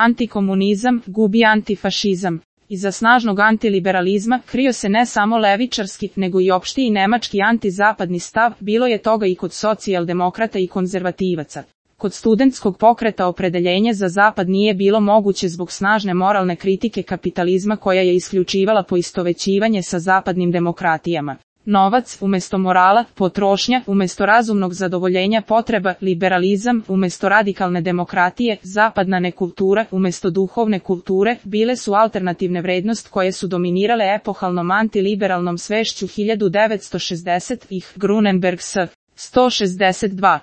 Antikomunizam gubi antifašizam. Iza snažnog antiliberalizma krio se ne samo levičarski, nego i opšti i nemački antizapadni stav, bilo je toga i kod socijaldemokrata i konzervativaca. Kod studentskog pokreta opredeljenje za zapad nije bilo moguće zbog snažne moralne kritike kapitalizma koja je isključivala poistovećivanje sa zapadnim demokratijama. Novac umjesto morala, potrošnja umjesto razumnog zadovoljenja potreba, liberalizam umjesto radikalne demokratije, zapadna nekultura umjesto duhovne kulture bile su alternativne vrednost koje su dominirale epohalnom antiliberalnom svešću 1960-ih. Grunenberg s. 162.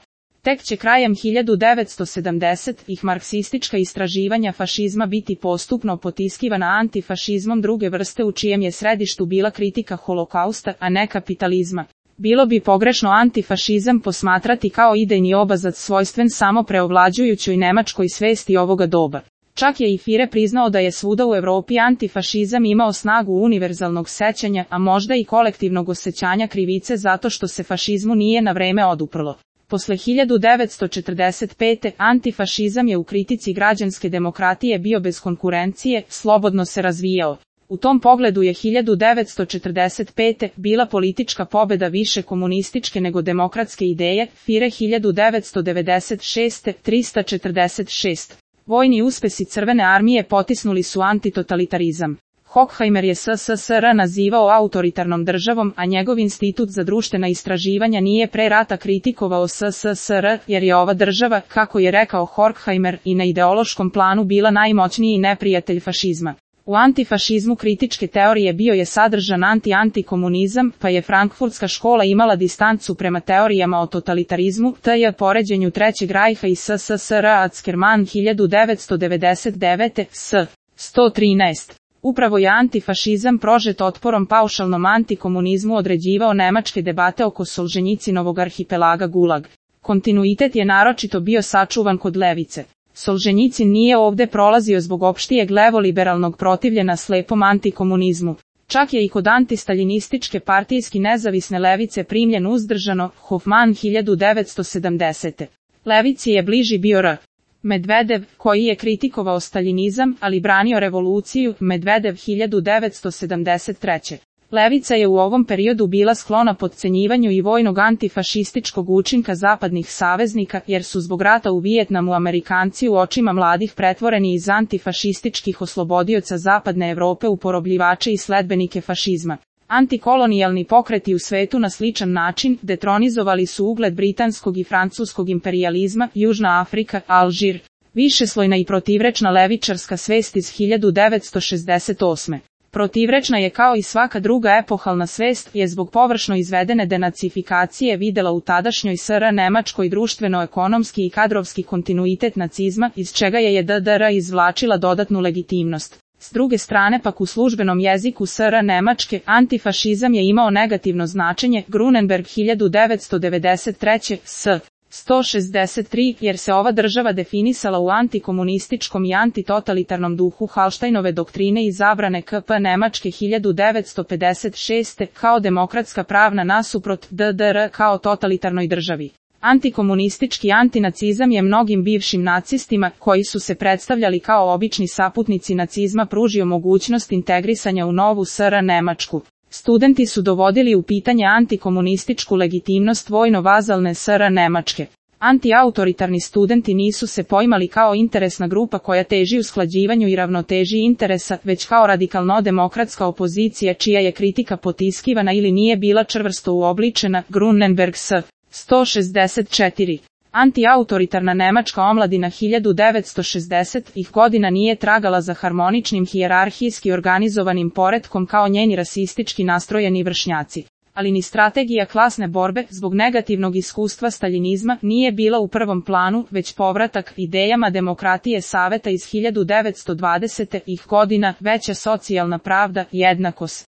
Tek će krajem 1970-ih marksistička istraživanja fašizma biti postupno potiskivana antifašizmom druge vrste u čijem je središtu bila kritika holokausta, a ne kapitalizma. Bilo bi pogrešno antifašizam posmatrati kao idejni obrazac svojstven samo preovlađujućoj nemačkoj svesti ovoga doba. Čak je i Führer priznao da je svuda u Europi antifašizam imao snagu univerzalnog sećanja, a možda i kolektivnog osjećanja krivice zato što se fašizmu nije na vreme oduprlo. Posle 1945. antifašizam je u kritici građanske demokratije bio bez konkurencije, slobodno se razvijao. U tom pogledu je 1945. bila politička pobeda više komunističke nego demokratske ideje, Führer 1996. 346. Vojni uspesi Crvene armije potisnuli su antitotalitarizam. Horkheimer je SSSR nazivao autoritarnom državom, a njegov institut za društvena istraživanja nije pre rata kritikovao SSSR, jer je ova država, kako je rekao Horkheimer, i na ideološkom planu bila najmoćniji neprijatelj fašizma. U antifašizmu kritičke teorije bio je sadržan antikomunizam, pa je Frankfurtska škola imala distancu prema teorijama o totalitarizmu, t.j. poređenju Trećeg rajha i SSSR. Ackermann 1999. s. 113. Upravo je antifašizam prožet otporom paušalnom antikomunizmu određivao nemačke debate oko Solženjicinovog arhipelaga Gulag. Kontinuitet je naročito bio sačuvan kod levice. Solženjicin nije ovde prolazio zbog opštijeg levoliberalnog protivljenja slepom antikomunizmu. Čak je i kod antistaljinističke partijski nezavisne levice primljen uzdržano, Hofmann 1970. Levici je bliži bio R. Medvedev, koji je kritikovao staljinizam, ali branio revoluciju, Medvedev 1973. Levica je u ovom periodu bila sklona potcenjivanju i vojnog antifašističkog učinka zapadnih saveznika, jer su zbog rata u Vijetnamu Amerikanci u očima mladih pretvoreni iz antifašističkih oslobodioca zapadne Evrope u porobljivače i sledbenike fašizma. Antikolonijalni pokreti u svetu na sličan način detronizovali su ugled britanskog i francuskog imperijalizma, Južna Afrika, Alžir. Višeslojna i protivrečna levičarska svest iz 1968. Protivrečna je kao i svaka druga epohalna svest, je zbog površno izvedene denacifikacije videla u tadašnjoj SR Nemačkoj društveno-ekonomski i kadrovski kontinuitet nacizma, iz čega je DDR izvlačila dodatnu legitimnost. S druge strane pak u službenom jeziku SR Nemačke, antifašizam je imao negativno značenje, Grunenberg 1993. s. 163, jer se ova država definisala u antikomunističkom i antitotalitarnom duhu Hallsteinove doktrine i zabrane KP Nemačke 1956. kao demokratska pravna nasuprot DDR kao totalitarnoj državi. Antikomunistički antinacizam je mnogim bivšim nacistima, koji su se predstavljali kao obični saputnici nacizma, pružio mogućnost integrisanja u novu SR Nemačku. Studenti su dovodili u pitanje antikomunističku legitimnost vojno-vazalne SR Nemačke. Antiautoritarni studenti nisu se poimali kao interesna grupa koja teži usklađivanju i ravnoteži interesa, već kao radikalno-demokratska opozicija čija je kritika potiskivana ili nije bila čvrsto uobličena, Grunenberg s. 164. Antiautoritarna nemačka omladina 1960-ih godina nije tragala za harmoničnim hijerarhijski organizovanim poretkom kao njeni rasistički nastrojeni vršnjaci. Ali ni strategija klasne borbe, zbog negativnog iskustva staljinizma, nije bila u prvom planu, već povratak idejama demokratije Saveta iz 1920-ih godina, veća socijalna pravda, jednakost.